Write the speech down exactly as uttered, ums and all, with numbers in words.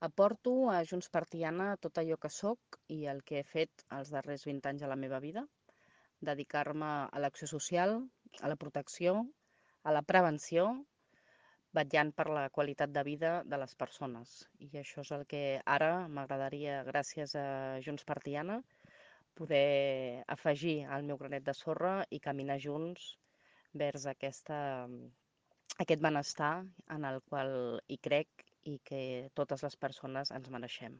Aporto a Junts per Tiana tot allò que sóc i el que he fet els darrers vint anys de la meva vida, dedicar-me a l'acció social, a la protecció, a la prevenció, vetllant per la qualitat de vida de les persones. I això és el que ara m'agradaria, gràcies a Junts per Tiana, poder afegir al meu granet de sorra i caminar junts vers aquesta, aquest benestar en el qual hi crec i que totes les persones ens mereixem.